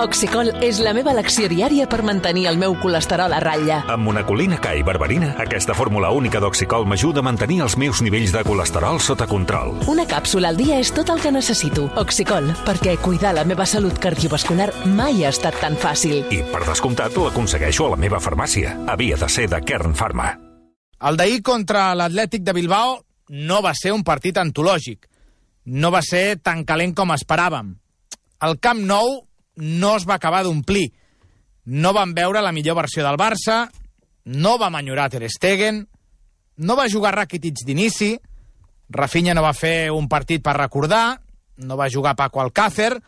Oxicol és la meva elecció diària per mantenir el meu colesterol a ratlla. Amb monacolina K i berberina, aquesta fórmula única d'Oxicol m'ajuda a mantenir els meus nivells de colesterol sota control. Una càpsula al dia és tot el que necessito. Oxicol, perquè cuidar la meva salut cardiovascular mai ha estat tan fàcil. I, per descomptat, l'aconsegueixo a la meva farmàcia. Havia de ser de Kern Pharma. El d'ahir contra l'Atlètic de Bilbao no va ser un partit antològic. No va ser tan calent com esperàvem. El Camp Nou no es va acabar d'omplir. No vam veure la millor versió del Barça, no vam enyorar Ter Stegen, no va jugar Rakitic d'inici, Rafinha no va fer un partit per recordar, no va jugar Paco Alcácer,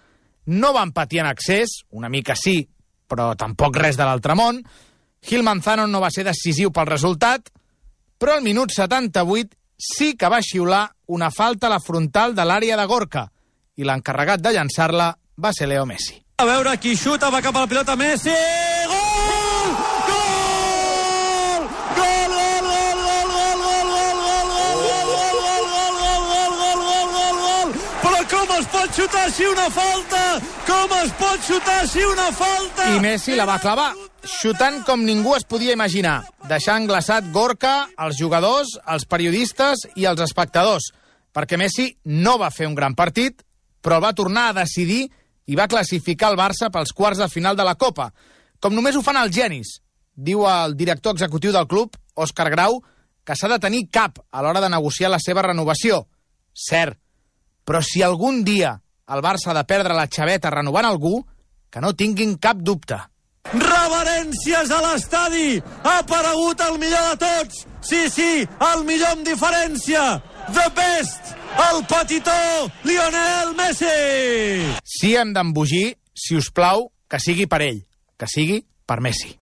no van patir en excés, una mica sí, però tampoc res de l'altre món, Gil Manzano no va ser decisiu pel resultat, però al minut 78 sí que va xiular una falta a la frontal de l'àrea de Gorka, i l'encarregat de llançar-la va ser Leo Messi. A veure qui xuta, va cap a la pilota Messi, gol! Gol! Gol, gol, gol, gol, gol, gol, gol, gol! Però com es pot xutar així una falta? Com es pot xutar així una falta? I Messi la va clavar, xutant com ningú es podia imaginar, deixant glaçat Gorka, els jugadors, els periodistes i els espectadors, perquè Messi no va fer un gran partit, però va tornar a decidir i va classificar el Barça pels quarts de final de la Copa, com només ho fan els genis. Diu el director executiu del club, Òscar Grau, que s'ha de tenir cap a l'hora de negociar la seva renovació. Cert, però si algun dia el Barça ha de perdre la xaveta renovant algú, que no tinguin cap dubte. Reverències a l'estadi! Ha aparegut el millor de tots! Sí, el millor amb diferència! The best! El petitó Lionel Messi! Si hem d'embogir, si us plau, que sigui per ell, que sigui per Messi.